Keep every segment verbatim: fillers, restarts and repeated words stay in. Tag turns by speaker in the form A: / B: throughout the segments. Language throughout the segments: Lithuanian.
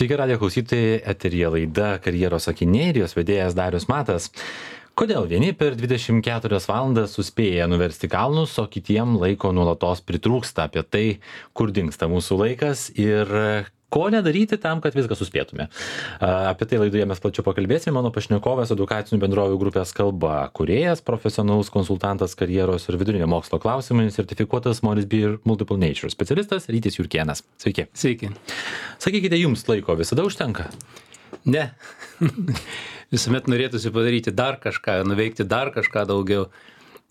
A: Sveiki, radijo klausytojai, eteryje laida Karjeros akiniai ir jos vedėjas Darius Matas. Kodėl vieni per dvidešimt keturias valandas suspėja nuversti kalnus, o kitiem laiko nuolatos pritrūksta? Apie tai, kur dingsta mūsų laikas ir ko nedaryti tam, kad viską suspėtume. Apie tai laidoje mes plačiau pakalbėsime. Mano pašnekovas edukacinių bendrovių grupės Kalba kūrėjas, profesionalus konsultantas karjeros ir vidurinio mokslo klausimais, sertifikuotas Morris Beer Multiple Nature specialistas Rytis Jurkėnas. Sveiki.
B: Sveiki.
A: Sakykite, jums laiko visada užtenka?
B: Ne. Visuomet norėtųsi padaryti dar kažką, nuveikti dar kažką daugiau.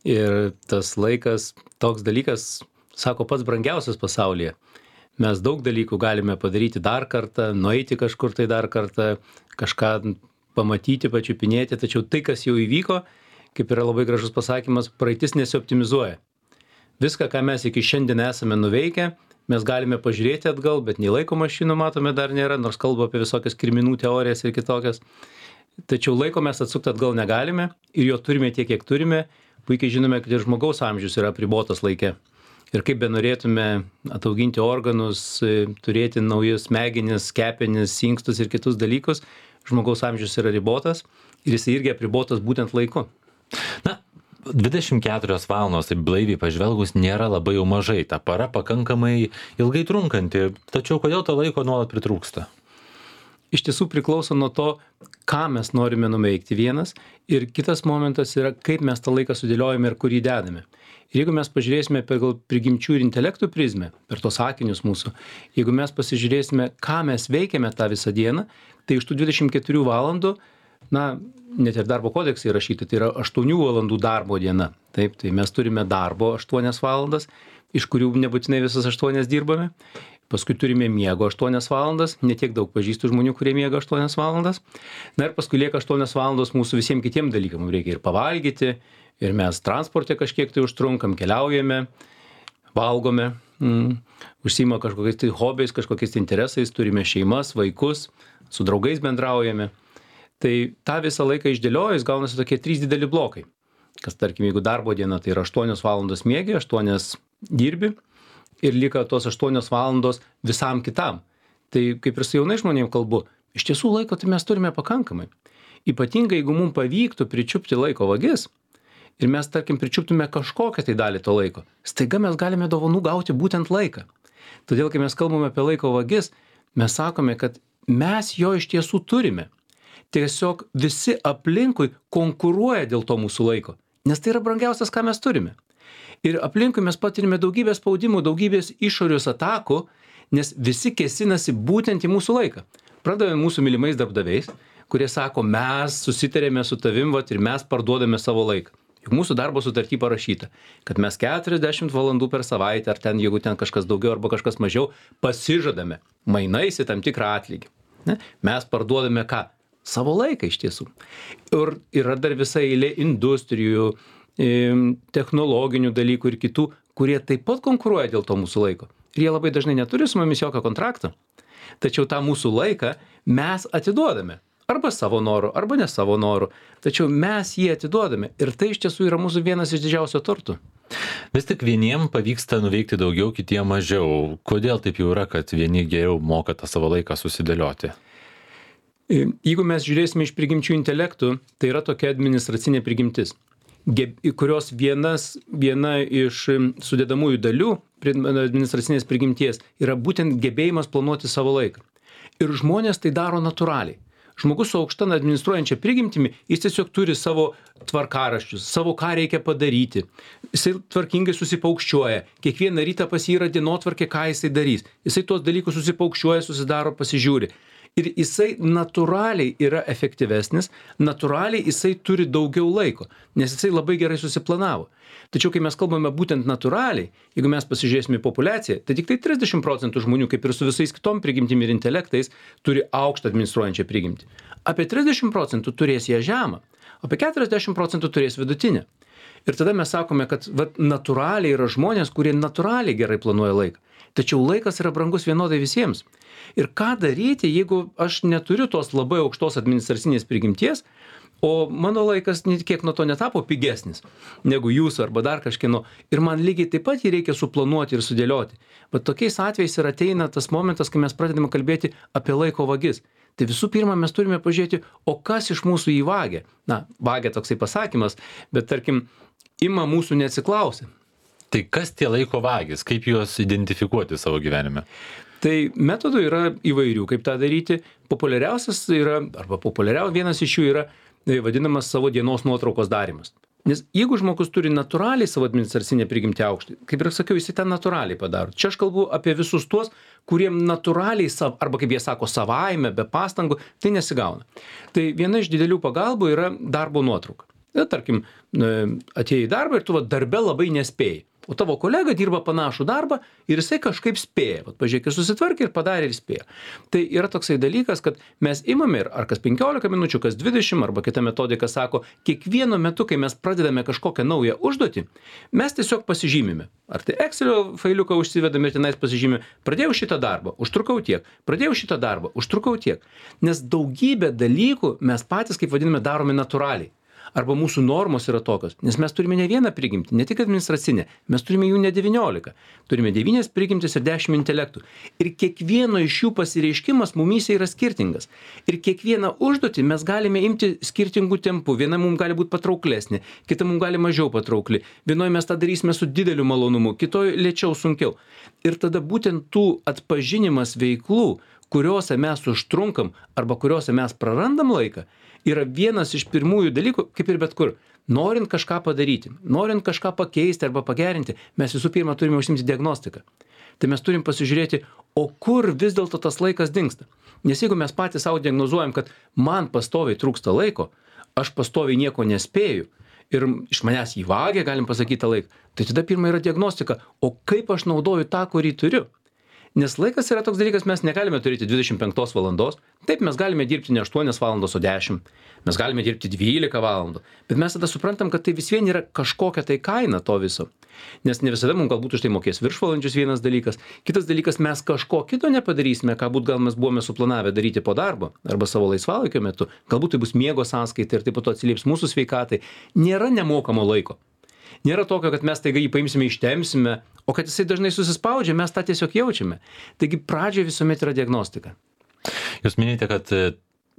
B: Ir tas laikas, toks dalykas, sako, pats brangiausias pasaulyje. Mes daug dalykų galime padaryti dar kartą, nueiti kažkur tai dar kartą, kažką pamatyti, pačiupinėti, tačiau tai, kas jau įvyko, kaip yra labai gražus pasakymas, praeitis nesioptimizuoja. Viską, ką mes iki šiandien esame nuveikę, mes galime pažiūrėti atgal, bet nei laiko mašinų matome dar nėra, nors kalba apie visokias kirminų teorijas ir kitokias. Tačiau laiko mes atsukti atgal negalime ir jo turime tiek, kiek turime. Puikiai žinome, kad ir žmogaus amžius yra apribotas laike. Ir kaip be norėtume atauginti organus, turėti naujus smegenis, kepenis, inkstus ir kitus dalykus, žmogaus amžius yra ribotas ir jis irgi apribotas būtent laiku.
A: Na, dvidešimt keturios valandos, tai blaiviai pažvelgus, nėra labai jau mažai. Ta para pakankamai ilgai trunkanti, tačiau kodėl to laiko nuolat pritrūksta?
B: Iš tiesų priklauso nuo to, ką mes norime nuveikti vienas, ir kitas momentas yra, kaip mes tą laiką sudėliojame ir kur jį dedame. Ir jeigu mes pažiūrėsime pagal prigimčių ir intelektų prizmę, per tos sakinius mūsų, jeigu mes pasižiūrėsime, ką mes veikiame tą visą dieną, tai iš tų dvidešimt keturių valandų, na, net ir darbo kodeksai įrašyti, tai yra aštuonių valandų darbo diena. Taip, tai mes turime darbo aštuonias valandas, iš kurių nebūtinai visas aštuonias dirbame. Paskui turime miego aštuonias valandas, netiek daug pažįstų žmonių, kurie miega aštuonias valandas. Na ir paskui lieka aštuonias valandos mūsų visiems kitiem dalykam. Mums reikia ir pavalgyti, ir mes transporte kažkiek tai užtrunkam, keliaujame, valgome, mm, užsiima kažkokiais tai hobiais, kažkokiais tai interesais, turime šeimas, vaikus, su draugais bendraujame. Tai tą visą laiką išdėliojus gaunasi tokie trys dideli blokai. Kas, tarkim, jeigu darbo diena, tai yra aštuonios valandos miegi, aštuonias dirbi. Ir lieka tos aštuonios valandos visam kitam. Tai kaip ir su jaunai žmonėm kalbu, iš tiesų laiko tai mes turime pakankamai. Ypatingai, jeigu mums pavyktų pričiupti laiko vagis ir mes, tarkim, pričiuptume kažkokią tai dalį to laiko, staiga mes galime dovanų gauti būtent laiką. Todėl, kai mes kalbame apie laiko vagis, mes sakome, kad mes jo iš tiesų turime. Tiesiog visi aplinkui konkuruoja dėl to mūsų laiko, nes tai yra brangiausias, ką mes turime. Ir aplinkui mes patirime daugybės spaudimų, daugybės išorius atakų, nes visi kėsinasi būtent į mūsų laiką. Pradavome mūsų mylimais darbdaviais, kurie sako, mes susitarėme su tavim, vat, ir mes parduodame savo laiką. Juk mūsų darbo sutarty parašyta, kad mes keturiasdešimt valandų per savaitę, ar ten, jeigu ten kažkas daugiau arba kažkas mažiau, pasižadame mainais į tam tikrą atlygį. Ne? Mes parduodame ką? Savo laiką iš tiesų. Ir yra dar visa eilė industrijų, technologinių dalykų ir kitų, kurie taip pat konkuruoja dėl to mūsų laiko. Ir jie labai dažnai neturi su mumis jokio kontrakto. Tačiau tą mūsų laiką mes atiduodame. Arba savo noru, arba ne savo noru. Tačiau mes jį atiduodame. Ir tai iš tiesų yra mūsų vienas iš didžiausių turtų.
A: Vis tik vieniem pavyksta nuveikti daugiau, kitiem mažiau. Kodėl taip jau yra, kad vieni geriau moka tą savo laiką susidėlioti?
B: Jeigu mes žiūrėsime iš prigimčių intelektų, tai yra tokia administracinė prigimtis, kurios vienas, viena iš sudedamųjų dalių administracinės prigimties yra būtent gebėjimas planuoti savo laiką. Ir žmonės tai daro natūraliai. Žmogus su aukšta administruojančia prigimtimi, jis tiesiog turi savo tvarkaraščius, savo ką reikia padaryti. Jisai tvarkingai susipaukščiuoja. Kiekvieną rytą pas jį yra dienotvarkė, ką jisai darys. Jisai tuos dalykus susipaukščiuoja, susidaro, pasižiūri. Ir jisai natūraliai yra efektyvesnis, natūraliai jisai turi daugiau laiko, nes jisai labai gerai susiplanavo. Tačiau, kai mes kalbame būtent natūraliai, jeigu mes pasižiūrėsime į populiaciją, tai tik tai trisdešimt procentų žmonių, kaip ir su visais kitom prigimtim ir intelektais, turi aukštą administruojančią prigimtį. Apie trisdešimt procentų turės ją žemą, apie keturiasdešimt procentų turės vidutinę. Ir tada mes sakome, kad vat, natūraliai yra žmonės, kurie natūraliai gerai planuoja laiką. Tačiau laikas yra brangus vienodai visiems. Ir ką daryti, jeigu aš neturiu tos labai aukštos administracinės prigimties, O mano laikas net kiek nuo to netapo pigesnis negu jūsų arba dar kažkieno. Ir man lygiai taip pat jį reikia suplanuoti ir sudėlioti. Bet tokiais atvejais ir ateina tas momentas, kai mes pradedame kalbėti apie laiko vagis. Tai visų pirma, mes turime pažiūrėti, o kas iš mūsų jį vagia. Na, vagia toksai pasakymas, bet tarkim, ima mūsų neatsiklausę.
A: Tai kas tie laiko vagis? Kaip juos identifikuoti savo gyvenime?
B: Tai metodų yra įvairių, kaip tą daryti. Populiariausias yra, arba populiariausias vienas iš jų yra vadinamas savo dienos nuotraukos darymas. Nes jeigu žmogus turi natūraliai savo administracinę prigimtį aukštį, kaip ir sakiau, jis ten natūraliai padaro. Čia aš kalbu apie visus tuos, kuriem natūraliai, sav, arba kaip jie sako, savaime, be pastangų, tai nesigauna. Tai viena iš didelių pagalbų yra darbo nuotrauka. Na, tarkim, atėjai į darbą ir tu va, darbe labai nespėjai. O tavo kolega dirba panašų darbą ir jisai kažkaip spėja. Vat, pažiūrėk, jis susitvarkė ir padarė ir spėja. Tai yra toksai dalykas, kad mes imame ir ar kas penkiolika minučių, kas dvidešimt, arba kita metodika sako, kiekvienu metu, kai mes pradedame kažkokią naują užduotį, mes tiesiog pasižymime. Ar tai Excelio failiuką užsivedame ir tenais pasižymime, pradėjau šitą darbą, užtrukau tiek, pradėjau šitą darbą, užtrukau tiek. Nes daugybę dalykų mes patys, kaip vadiname, darome natūraliai. Arba mūsų normos yra tokios, nes mes turime ne vieną prigimtį, ne tik administracinę, mes turime jų ne devyniolika, turime devynias prigimtis ir dešimt intelektų. Ir kiekvieno iš jų pasireiškimas mumyse yra skirtingas. Ir kiekvieną užduotį mes galime imti skirtingų tempų, viena mums gali būti patrauklesnė, kita mums gali mažiau patraukli, vienoje mes tą darysime su dideliu malonumu, kitoje lėčiau, sunkiau. Ir tada būtent tų atpažinimas veiklų, kuriuose mes užtrunkam arba kuriuose mes prarandam laiką, yra vienas iš pirmųjų dalykų, kaip ir bet kur. Norint kažką padaryti, norint kažką pakeisti arba pagerinti, mes visų pirma turime užsimti diagnostiką. Tai mes turim pasižiūrėti, o kur vis dėlto tas laikas dingsta. Nes jeigu mes patys savo diagnozuojam, kad man pastoviai trūksta laiko, aš pastoviai nieko nespėju ir iš manęs jį vagia, galim pasakyti tą laiką, tai tada pirma yra diagnostika, o kaip aš naudoju tą, kurį turiu. Nes laikas yra toks dalykas, mes negalime turėti dvidešimt penkios valandos. Taip, mes galime dirbti ne aštuonias valandos, o dešimt. Mes galime dirbti dvylika valandų. Bet mes tada suprantam, kad tai vis vien yra kažkokia tai kaina to viso. Nes ne visada mums galbūt už tai mokės viršvalandžius vienas dalykas. Kitas dalykas, mes kažko kito nepadarysime, ką būt gal mes buvome suplanavę daryti po darbo arba savo laisvalaikio metu. Galbūt tai bus miego sąskaita ir taip pat atsilieps mūsų sveikatai. Nėra nemokamo laiko. Nėra tokio, kad mes taiga jį paimsime, ištempsime, o kad jisai dažnai susispaudžia, mes tą tiesiog jaučiame. Taigi pradžioje visuomet yra diagnostika.
A: Jūs minite, kad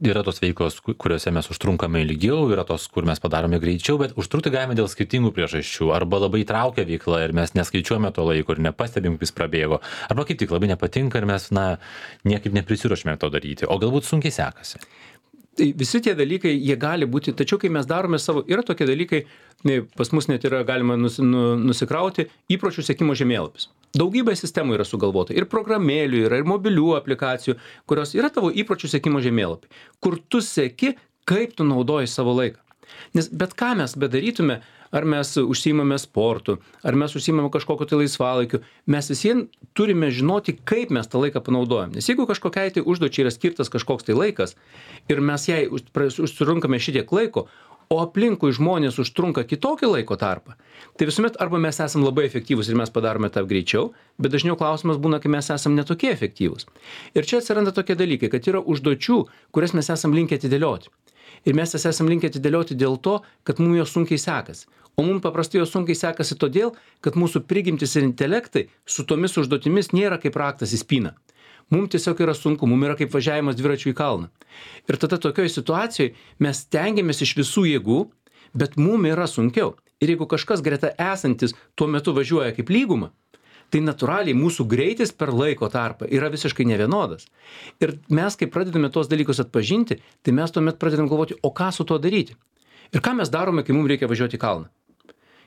A: yra tos veiklos, kuriuose mes užtrunkame ilgiau, yra tos, kur mes padarome greičiau, bet užtrukti galime dėl skirtingų priežasčių. Arba labai traukia veikla ir mes neskaičiuojame to laiko ir nepastebim, kaip jis prabėgo. Arba kaip tik labai nepatinka ir mes na, niekaip neprisiruošime to daryti. O galbūt sunkiai sekasi.
B: Tai visi tie dalykai, jie gali būti, tačiau kai mes darome savo, yra tokie dalykai, pas mus net yra galima nus, nu, nusikrauti įpročių sekimo žemėlapis. Daugybė sistemų yra sugalvota, ir programėlių yra, ir mobilių aplikacijų, kurios yra tavo įpročių sekimo žemėlapiai, kur tu seki, kaip tu naudoji savo laiką. Nes bet ką mes bedarytume, ar mes užsiimame sportu, ar mes užsiimame kažkokiu tai laisvalaikiu, mes visien turime žinoti, kaip mes tą laiką panaudojam. Nes jeigu kažkokiai tai užduočiai yra skirtas kažkoks tai laikas ir mes jai užtrunkame šitiek laiko, o aplinkui žmonės užtrunka kitokį laiko tarpą, tai visuomet arba mes esam labai efektyvūs ir mes padarome tą greičiau, bet dažniau klausimas būna, kai mes esam netokie efektyvūs. Ir čia atsiranda tokie dalykai, kad yra užduočių, kurias mes esam linkę atidėlioti. Ir mes jas esam linkę atidėlioti dėl to, kad mums jos sunkiai sekasi. O mums paprastai jos sunkiai sekasi todėl, kad mūsų prigimtis ir intelektai su tomis užduotimis nėra kaip raktas į spyną. Mums tiesiog yra sunku, mums yra kaip važiavimas dviračiu į kalną. Ir tada tokioje situacijoje mes stengiamės iš visų jėgų, bet mums yra sunkiau. Ir jeigu kažkas greta esantis tuo metu važiuoja kaip lyguma, tai natūraliai mūsų greitis per laiko tarpą yra visiškai nevienodas. Ir mes, kai pradedame tuos dalykus atpažinti, tai mes tuomet pradedam galvoti, o ką su tuo daryti. Ir ką mes darome, kai mums reikia važiuoti į kalną.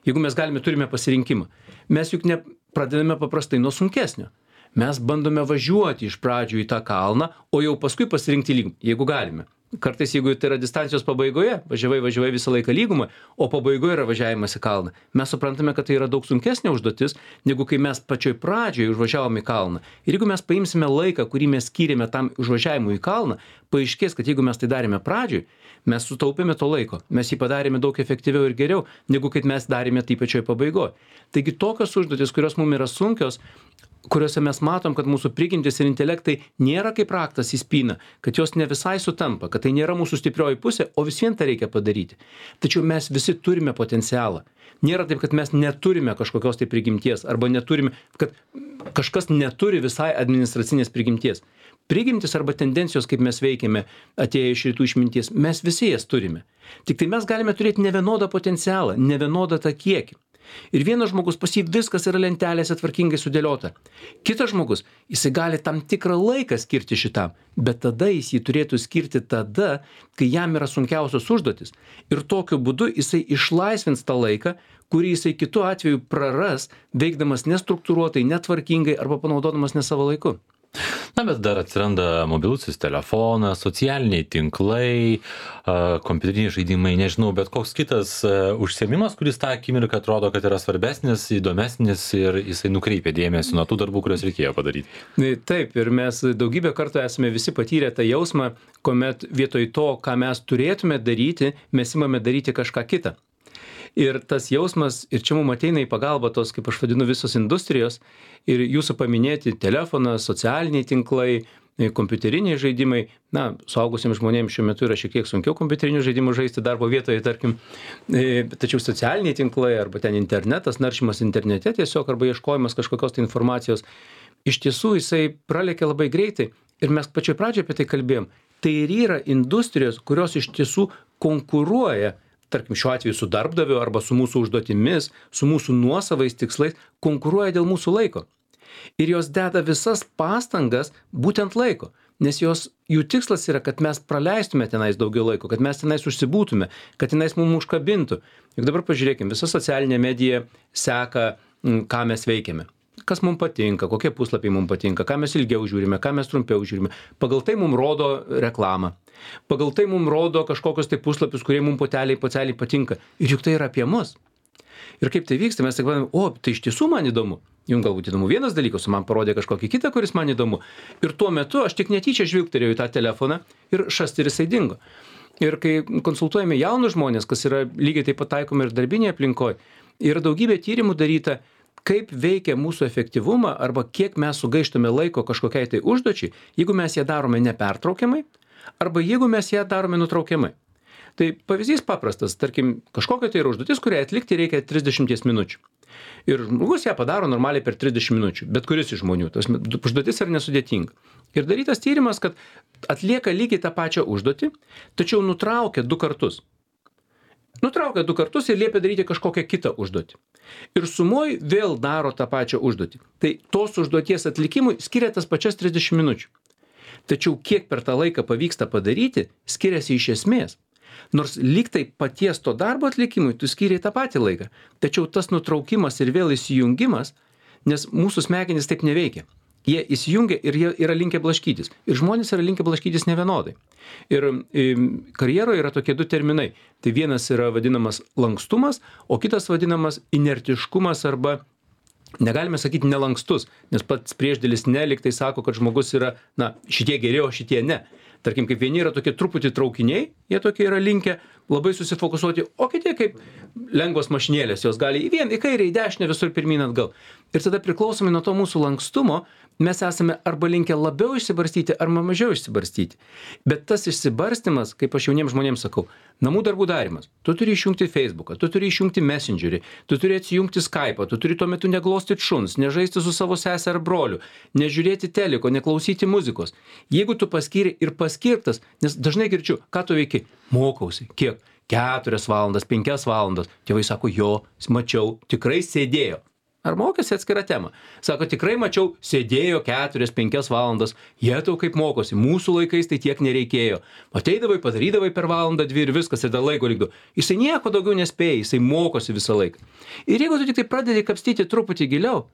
B: Jeigu mes galime, turime pasirinkimą. Mes juk ne pradedame paprastai nuo sunkesnio. Mes bandome važiuoti iš pradžių į tą kalną, o jau paskui pasirinkti lygumą, jeigu galime. Kartais, jeigu tai yra distancijos pabaigoje, važiavai, važiavai visą laiką lygumą, o pabaigoje yra važiavimas į kalną. Mes suprantame, kad tai yra daug sunkesnė užduotis, negu kai mes pačioj pradžioje užvažiavom į kalną. Ir jeigu mes paimsime laiką, kurį mes skyrėme tam užvažiavimui į kalną, paaiškės, kad jeigu mes tai darėme pradžioj, mes sutaupėme to laiko, mes jį padarėme daug efektyviau ir geriau, negu kad mes darėme tai pačioj pabaigoje. Taigi tokios užduotis, kurios mums yra sunkios, kuriuose mes matom, kad mūsų prigimtis ir intelektai nėra kaip raktas į spyną, kad jos ne visai sutampa, kad tai nėra mūsų stiprioji pusė, o vis vien tą reikia padaryti. Tačiau mes visi turime potencialą. Nėra taip, kad mes neturime kažkokios tai prigimties arba neturime, kad kažkas neturi visai administracinės prigimties. Prigimtis arba tendencijos, kaip mes veikiame, atėję iš rytų išminties, mes visi jas turime. Tik tai mes galime turėti nevienodą potencialą, nevienodą tą kiekį. Ir vienas žmogus, pas jį viskas yra lentelėse tvarkingai sudėliota. Kitas žmogus, jisai gali tam tikrą laiką skirti šitam, bet tada jis jį turėtų skirti tada, kai jam yra sunkiausios užduotis. Ir tokiu būdu jisai išlaisvins tą laiką, kurį jisai kitu atveju praras, veikdamas nestruktūruotai, netvarkingai arba panaudodamas ne savo laiku.
A: Na, bet dar atsiranda mobilusis telefonas, socialiniai tinklai, kompiuteriniai žaidimai, nežinau, bet koks kitas užsiėmimas, kuris tą akimirką atrodo, kad yra svarbesnis, įdomesnis ir jisai nukreipia dėmesį nuo tų darbų, kuriuos reikėjo padaryti.
B: Taip, ir mes daugybę kartų esame visi patyrę tą jausmą, kuomet vietoj to, ką mes turėtume daryti, mes imame daryti kažką kitą. Ir tas jausmas, ir čia mums ateina į pagalbą tos, kaip aš vadinu, visos industrijos, ir jūsų paminėti telefonas, socialiniai tinklai, kompiuteriniai žaidimai, na, suaugusiems žmonėms šiuo metu yra šiek tiek sunkiau kompiuterinių žaidimų žaisti darbo vietoje, tarkim, tačiau socialiniai tinklai arba ten internetas, naršymas internete tiesiog, arba ieškojimas kažkokios tai informacijos, iš tiesų jisai pralekia labai greitai, ir mes pačioj pradžioje apie tai kalbėjom. Tai ir yra industrijos, kurios iš tiesų konkuruoja, tarkim šiuo atveju su darbdaviu arba su mūsų užduotimis, su mūsų nuosavais tikslais, konkuruoja dėl mūsų laiko. Ir jos deda visas pastangas būtent laiko, nes jos, jų tikslas yra, kad mes praleistume tenais daugiau laiko, kad mes tenais užsibūtume, kad tenais mums užkabintų. Juk dabar pažiūrėkim, visa socialinė medija seka, ką mes veikiame. Kas mums patinka, kokie puslapiai mums patinka, ką mes ilgiau žiūrime, ką mes trumpiau žiūrime. Pagal tai mums rodo reklamą. Pagal tai mums rodo kažkokius tai puslapius, kurie mums poteliai, poteliai patinka. Ir juk tai yra apie mus. Ir kaip tai vyksta, mes tik vadiname, o, tai iš tiesų man įdomu. Jums galbūt įdomu vienas dalykas, man parodė kažkokį kitą, kuris man įdomu. Ir tuo metu aš tik netyčia žvilgterėjau į tą telefoną ir šast ir jisai dingo. Ir kai konsultuojame jaunus žmonės, kas yra lygiai taip pat taikoma ir darbinėje aplinkoje, yra daugybė tyrimų daryta, kaip veikia mūsų efektyvumą arba kiek mes sugaištame laiko kažkokiai tai užduočiai, jeigu mes ją darome nepertraukiamai arba jeigu mes ją darome nutraukiamai. Tai pavyzdys paprastas, tarkim, kažkokia tai yra užduotis, kurią atlikti reikia trisdešimt minučių. Ir žmogus ją padaro normaliai per trisdešimt minučių, bet kuris iš žmonių. Tas užduotis yra nesudėtinga. Ir darytas tyrimas, kad atlieka lygiai tą pačią užduotį, tačiau nutraukia du kartus. Nutraukia du kartus ir liepia daryti kažkokią kitą užduotį. Ir sumoj vėl daro tą pačią užduotį. Tai tos užduoties atlikimui skiria tas pačias trisdešimt minučių. Tačiau kiek per tą laiką pavyksta padaryti, skiriasi iš esmės. Nors lyg tai paties to darbo atlikimui tu skiriai tą patį laiką. Tačiau tas nutraukimas ir vėl įsijungimas, nes mūsų smegenys taip neveikia. Jie įsijungia ir jie yra linkę blaškytis. Ir žmonės yra linkę blaškytis nevienodai. Ir karjeroje yra tokie du terminai. Tai vienas yra vadinamas lankstumas, o kitas vadinamas inertiškumas arba, negalime sakyti nelankstus, nes pats priešdėlis ne, lyg tai sako, kad žmogus yra, na, šitie geriau, šitie ne. Tarkim, kaip vieni yra tokie truputį traukiniai, jie tokie yra linkę labai susifokusuoti, o kiti kaip lengvos mašinėlės, jos gali į vieną, į kairę, į dešinę, visur pirmyn atgal. Ir tada priklausomai nuo to mūsų lankstumo, mes esame arba linkę labiau išsibarstyti, arba mažiau išsibarstyti. Bet tas išsibarstymas, kaip aš jauniems žmonėms sakau, namų darbų darimas. Tu turi išjungti Facebooką, tu turi išjungti Messengerį, tu turi atsijungti Skype'ą, tu turi tuo metu neglostyti šuns, nežaisti su savo sese ar broliu, nežiūrėti teliko, neklausyti muzikos. Jeigu tu paskiri ir paskirtas, nes dažnai girdžiu, ką tu veiki, mokausi, kiek, keturias valandas, penkias valandas, tėvai sako, jo, mačiau, tikrai sėdėjo. Ar mokėsi atskirą temą? Sako, tikrai mačiau, sėdėjo keturias, penkias valandas, jie tau kaip mokosi, mūsų laikais tai tiek nereikėjo. Ateidavai, padarydavai per valandą, dvi ir viskas, ir dar laiko likdo. Jisai nieko daugiau nespėja, jisai mokosi visą laiką. Ir jeigu tu tik tai pradedi kapstyti truputį giliau,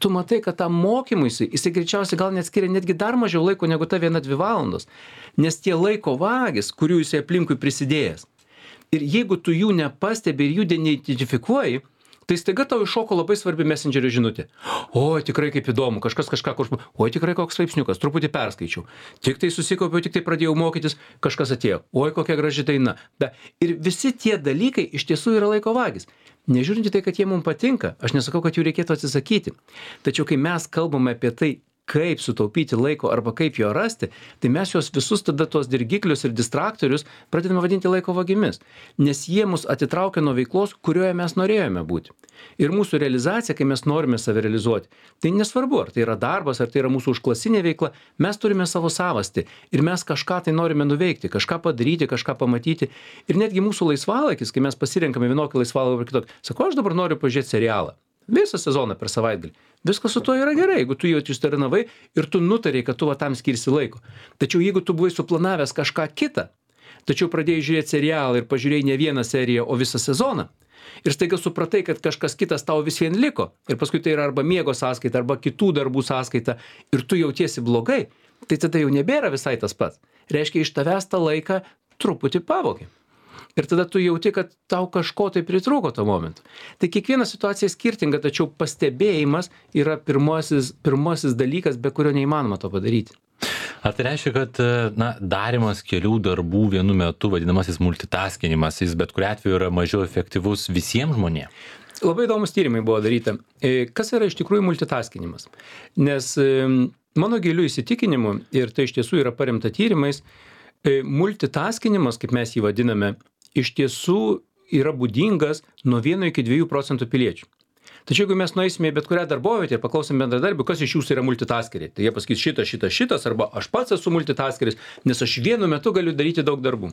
B: tu matai, kad tam mokymuisi, jisai greičiausiai gal net skiria netgi dar mažiau laiko negu ta viena, dvi valandos. Nes tie laiko vagis, kurių jisai aplinkui prisidėjęs. Ir jeigu tu jų nepastebi ir jų neidentifikuoji, tai staiga tau iššoko labai svarbi messengerio žinutė. O, tikrai kaip įdomu, kažkas kažką, kažką, o, tikrai koks straipsniukas, truputį perskaičiau. Tik tai susikaupiau, tik tai pradėjau mokytis, kažkas atėjo. Oi, kokia graži daina. Da. Ir visi tie dalykai iš tiesų yra laiko vagis. Nežiūrint į tai, kad jie mums patinka, aš nesakau, kad jų reikėtų atsisakyti. Tačiau kai mes kalbame apie tai, kaip sutaupyti laiko arba kaip jo rasti, tai mes juos visus tada tuos dirgiklius ir distraktorius pradedame vadinti laiko vagimis, nes jie mus atitraukia nuo veiklos, kurioje mes norėjome būti. Ir mūsų realizacija, kai mes norime save realizuoti, tai nesvarbu, ar tai yra darbas, ar tai yra mūsų užklasinė veikla, mes turime savo savastį ir mes kažką tai norime nuveikti, kažką padaryti, kažką pamatyti. Ir netgi mūsų laisvalaikis, kai mes pasirenkame vienokį laisvalaikį ar kitokį, sako, aš dabar noriu pažiūrėti serialą. Visą sezoną per savaitgalį. Viskas su to yra gerai, jeigu tu jau ištarinavai ir tu nutarei, kad tu va tam skirsi laiko. Tačiau jeigu tu buvai suplanavęs kažką kitą, tačiau pradėjai žiūrėti serialą ir pažiūrėjai ne vieną seriją, o visą sezoną, ir staiga supratai, kad kažkas kitas tau vis vien liko, ir paskui tai yra arba miego sąskaita, arba kitų darbų sąskaita, ir tu jautiesi blogai, tai tada jau nebėra visai tas pats. Reiškia, iš tavęs tą laiką truputį pavogė. Ir tada tu jauti, kad tau kažko tai pritrūko to momentu. Tai kiekviena situacija skirtinga, tačiau pastebėjimas yra pirmasis, pirmasis dalykas, be kurio neįmanoma to padaryti.
A: Ar tai reiškia, kad na, darimas kelių darbų vienu metu, vadinamasis multitaskinimas, jis bet kuriuo atveju yra mažiau efektyvus visiems žmonėms?
B: Labai įdomus tyrimai buvo daryta. Kas yra iš tikrųjų multitaskinimas? Nes mano giliu įsitikinimu, ir tai iš tiesų yra paremta tyrimais, multitaskinimas, kaip mes jį vadiname, iš tiesų yra būdingas nuo vieno iki dviejų procentų piliečių. Tačiau jeigu mes nueisime į bet kurią darbovietę ir paklausim bendradarbių, kas iš jūsų yra multitaskeriai, tai jie pasakys šitas, šitas, šitas, arba aš pats esu multitaskeris, nes aš vienu metu galiu daryti daug darbų.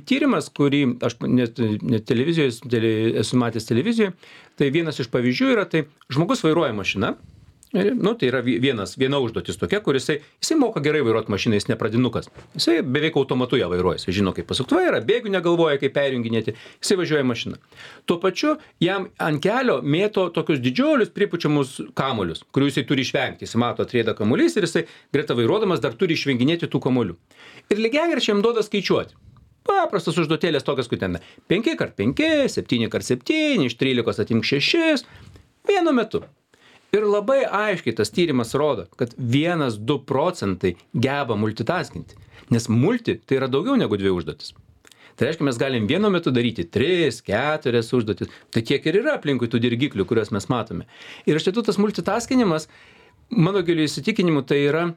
B: Tyrimas, kurį aš net, net televizijoje, tele, esu matęs televizijoje, tai vienas iš pavyzdžių yra, tai žmogus vairuoja mašiną. Nu, tai yra vienas, viena užduotis tokia, kur jisai, jisai moka gerai vairuoti mašiną, jis ne pradinukas. Jisai beveik automatu ją vairuoja, jisai žino, kaip pasukti vairą, bėgių negalvoja, kaip perjunginėti, jisai važiuoja mašiną. Tuo pačiu jam ant kelio mėto tokius didžiulius pripučiamus kamuolius, kurių jisai turi išvengti. Jis mato atrieda kamuolys ir jisai greta vairuodamas dar turi išvenginėti tų kamuolių. Ir lygiagrečiai jam duoda skaičiuoti. Paprastas užduotėlės tokias, kur ten penki kart penki, septyni kart septyni, iš trylikos atimk šešis, vienu metu. Ir labai aiškiai tas tyrimas rodo, kad vienas du procentai geba multitaskinti, nes multi tai yra daugiau negu dvi užduotis. Tai reiškia, mes galim vienu metu daryti tris, keturias užduotis, tai tiek ir yra aplinkui tų dirgiklių, kuriuos mes matome. Ir iš tiesų tas multitaskinimas, mano giliu įsitikinimu, tai yra,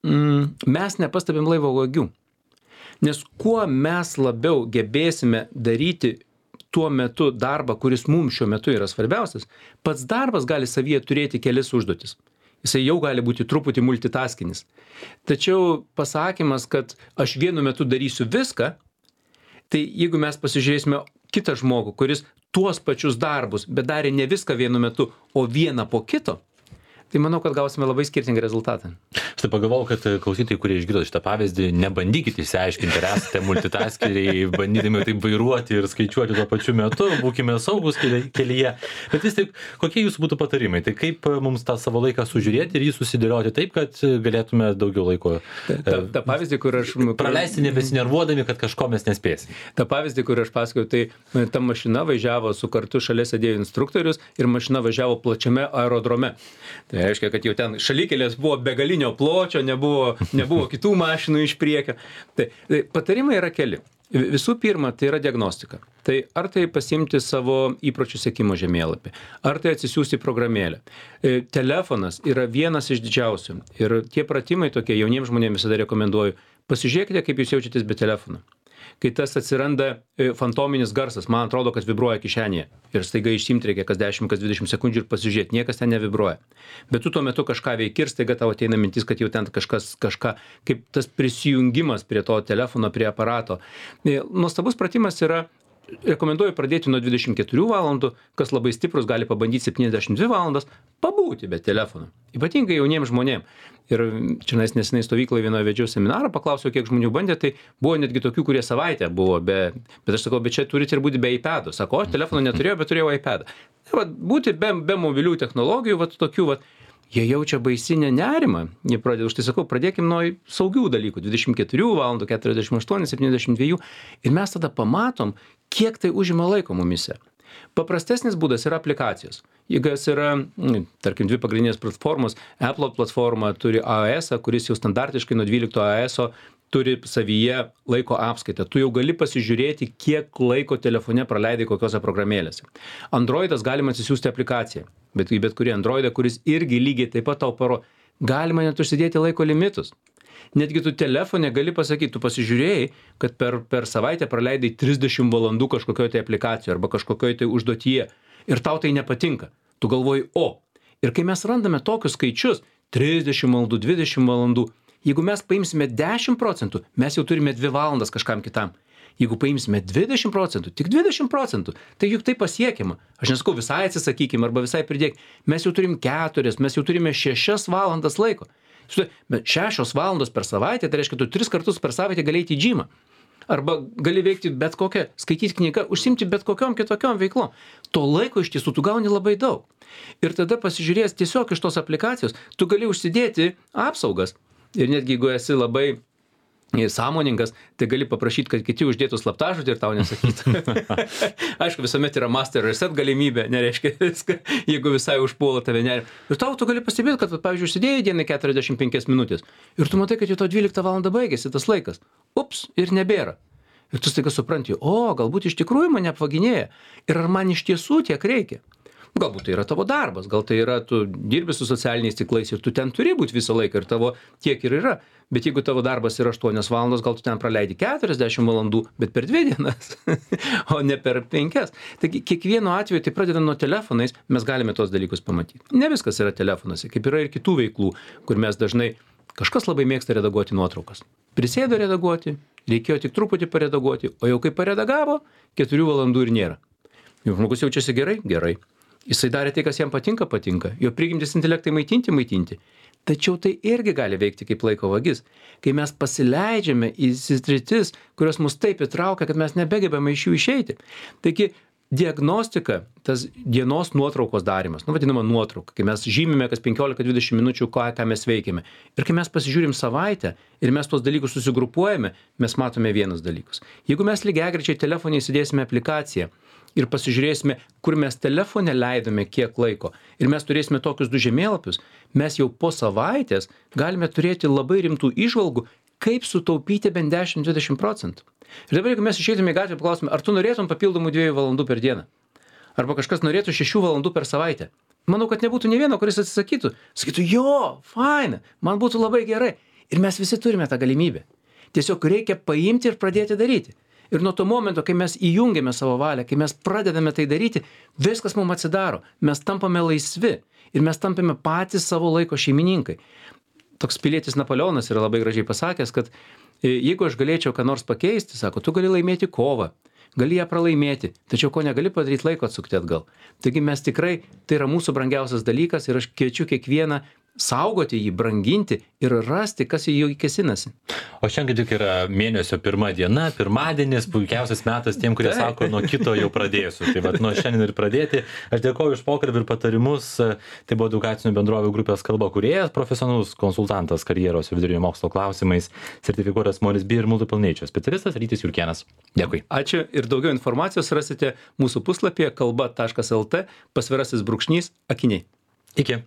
B: mm, mes nepastebim laivo vagių. Nes kuo mes labiau gebėsime daryti tuo metu darbą, kuris mums šiuo metu yra svarbiausias, pats darbas gali savyje turėti kelis užduotis. Jisai jau gali būti truputį multitaskinis. Tačiau pasakymas, kad aš vienu metu darysiu viską, tai jeigu mes pasižiūrėsime kitą žmogų, kuris tuos pačius darbus, bet darė ne viską vienu metu, o vieną po kito, tai manau, kad gausime labai skirtingą rezultatą.
A: Aš tai pagalvojau, kad klausytojai, kurie išgirdo šitą pavyzdį, nebandykite išsiaiškinti, ar esate multitaskeriai, bandydami taip vairuoti ir skaičiuoti tuo pačiu metu, būkime saugus kelyje. Bet vis tik, kokie jūsų būtų patarimai? Tai kaip mums tą savo laiką sužiūrėti ir jį susidėlioti taip, kad galėtume daugiau laiko
B: ta, ta, ta pavyzdį, kur aš...
A: praleisti nebesinervuodami, kad kažko mes nespėsim.
B: Ta pavyzdį, kur aš pasakiau, tai ta mašina važiavo su kartu šalia sėdėjo instruktorius ir mašina važiavo plačiame aerodrome. Tai reiškia, kad jau ten šalikelės buvo begalinio pločio, nebuvo, nebuvo kitų mašinų iš priekio. Tai, tai patarimai yra keli. Visų pirma, tai yra diagnostika. Tai ar tai pasimti savo įpročių sekimo žemėlapį, ar tai atsisiųsti programėlę. Telefonas yra vienas iš didžiausių. Ir tie pratimai tokie jauniems žmonėms visada rekomenduoju. Pasižiūrėkite, kaip jūs jaučiatės be telefono. Kai tas atsiranda fantominis garsas, man atrodo, kad vibruoja kišenėje. Ir staiga išsiimti reikia kas dešimt, kas dvidešimt sekundžių ir pasižiūrėti, niekas ten nevibruoja. Bet tu tuo metu kažką veiki ir staiga tau ateina mintis, kad jau ten kažkas, kažką, kaip tas prisijungimas prie to telefono, prie aparato. Nuostabus pratimas yra, rekomenduoju pradėti nuo dvidešimt keturių valandų, kas labai stiprus gali pabandyti septyniasdešimt dvi valandas, pabūti be telefono. Ypatingai jauniems žmonėms. Ir čia nesenai stovykloje vienoje vedžiau seminarą, paklausiau, kiek žmonių bandė, tai buvo netgi tokių, kurie savaitę buvo, be, bet aš sakau, bet čia turite ir būti be iPad'o. Sako, aš telefono neturėjau, bet turėjau iPad'ą. Tai va, būti be, be mobilių technologijų, va, tokių, va, jie jaučia baisinę nerimą. Jie pradeda, už tai sakau, pradėkim nuo saugių dalykų, dvidešimt keturių valandų, keturiasdešimt aštuonių, septyniasdešimt dviejų, ir mes tada pamatom, kiek tai užima laiko mumise. Paprastesnis būdas yra aplikacijos. Jeigu jas yra, tarkim, dvi pagrindinės platformos, Apple platforma turi iOS, kuris jau standartiškai nuo dvylikto iOS turi savyje laiko apskaitą. Tu jau gali pasižiūrėti, kiek laiko telefone praleidai kokiose programėlėse. Androidas galima atsisiųsti aplikaciją, bet į bet kurį Androidą, kuris irgi lygiai taip pat tau paro, galima net užsidėti laiko limitus. Netgi tu telefone gali pasakyti, tu pasižiūrėjai, kad per, per savaitę praleidai trisdešimt valandų kažkokioje tai aplikacijoje arba kažkokioje tai užduotyje ir tau tai nepatinka. Tu galvoji, o. Ir kai mes randame tokius skaičius, trisdešimt valandų, dvidešimt valandų, jeigu mes paimsime dešimt procentų, mes jau turime dvi valandas kažkam kitam. Jeigu paimsime dvidešimt procentų, tik dvidešimt procentų, tai juk tai pasiekiama. Aš nesakau, visai atsisakykime arba visai pridėk. Mes jau turim keturias, mes jau turime šešias valandas laiko. Šešios valandos per savaitę, tai reiškia, tu tris kartus per savaitę gali eiti į džymą. Arba gali veikti bet kokią, skaityti knygą, užsimti bet kokiom kitokiom veiklom. To laiko iš tiesų tu gauni labai daug. Ir tada pasižiūrėjęs tiesiog iš tos aplikacijos, tu gali užsidėti apsaugas. Ir netgi jeigu esi labai sąmoningas, tai gali paprašyti, kad kiti uždėtų slaptažodį ir tau nesakytų. Aišku, visuomet yra master reset galimybė, nereiškia viską, jeigu visai užpuola tave nerima. Ir tau tu gali pastebėti, kad, pavyzdžiui, užsidėjai dienai keturiasdešimt penkias minutės ir tu matai, kad jau to dvyliktą valandą baigėsi tas laikas. Ups, ir nebėra. Ir tu staiga supranti, o, galbūt iš tikrųjų mane apvaginėja. Ir ar man iš tiesų tiek reikia? Galbūt tai yra tavo darbas, gal tai yra, tu dirbi su socialiniais tinklais ir tu ten turi būti visą laiką ir tavo tiek ir yra. Bet jeigu tavo darbas yra aštuonios valandos, gal tu ten praleidi keturiasdešimt valandų, bet per dvi dienas, o ne per penkias. Taigi kiekvienu atveju, tai pradedant nuo telefonais, mes galime tos dalykus pamatyti. Ne viskas yra telefonuose, kaip yra ir kitų veiklų, kur mes dažnai, kažkas labai mėgsta redaguoti nuotraukas. Prisėdo redaguoti, reikėjo tik truputį paredaguoti, o jau kai paredagavo, keturių valandų ir nėra. Jau žmogus jaučiasi gerai? Gerai. Jisai darė tai, kas jam patinka, patinka. Jo prigimtis intelektai maitinti, maitinti. Tačiau tai irgi gali veikti kaip laiko vagis. Kai mes pasileidžiame į sritis, kurios mus taip įtraukia, kad mes nebegebame iš jų išeiti. Taigi, diagnostika, tas dienos nuotraukos darymas, nu vadinama nuotrauka, kai mes žymime kas penkiolika dvidešimt minučių, ką, ką mes veikiame. Ir kai mes pasižiūrim savaitę ir mes tos dalykus susigrupuojame, mes matome vienus dalykus. Jeigu mes lygiagrečiai telefone įsidėsime aplikaciją, ir pasižiūrėsime, kur mes telefone leidome kiek laiko, ir mes turėsime tokius du žemėlapius, mes jau po savaitės galime turėti labai rimtų įžvalgų, kaip sutaupyti bent dešimt dvidešimt procentų. Ir dabar, jeigu mes išeitume į gatvę ir paklausime, ar tu norėtum papildomų dviejų valandų per dieną? Arba kažkas norėtų šešių valandų per savaitę? Manau, kad nebūtų nė vieno, kuris atsisakytų. Sakytų, jo, faina, man būtų labai gerai. Ir mes visi turime tą galimybę. Tiesiog reikia paimti ir pradėti daryti. Ir nuo to momento, kai mes įjungiame savo valią, kai mes pradedame tai daryti, viskas mums atsidaro. Mes tampame laisvi ir mes tampame patys savo laiko šeimininkai. Toks pilietis Napoleonas yra labai gražiai pasakęs, kad jeigu aš galėčiau ką nors pakeisti, sako, tu gali laimėti kovą, gali ją pralaimėti, tačiau ko negali padaryti, laiko atsukti atgal. Taigi mes tikrai, tai yra mūsų brangiausias dalykas ir aš kviečiu kiekvieną saugoti jį, branginti ir rasti, kas į jį kėsinasi.
A: O šiandien tik yra mėnesio pirma diena, pirmadienis, puikiausias metas tiem, kurie sako, nuo kito jau pradėsiu. Tai vat, nuo šiandien ir pradėti. Aš dėkoju už pokalbį ir patarimus. Tai buvo edukacinių bendrovių grupės kalba kūrėjas, profesionalus konsultantas karjeros ir vidurinio mokslo klausimais, sertifikuotas Morris B ir Multiple Nature specialistas Rytis Jurkėnas. Dėkui.
B: Ačiū ir daugiau informacijos rasite mūsų puslapyje kalba taškas lt pasvirasis brūkšnys akiniai.
A: Iki.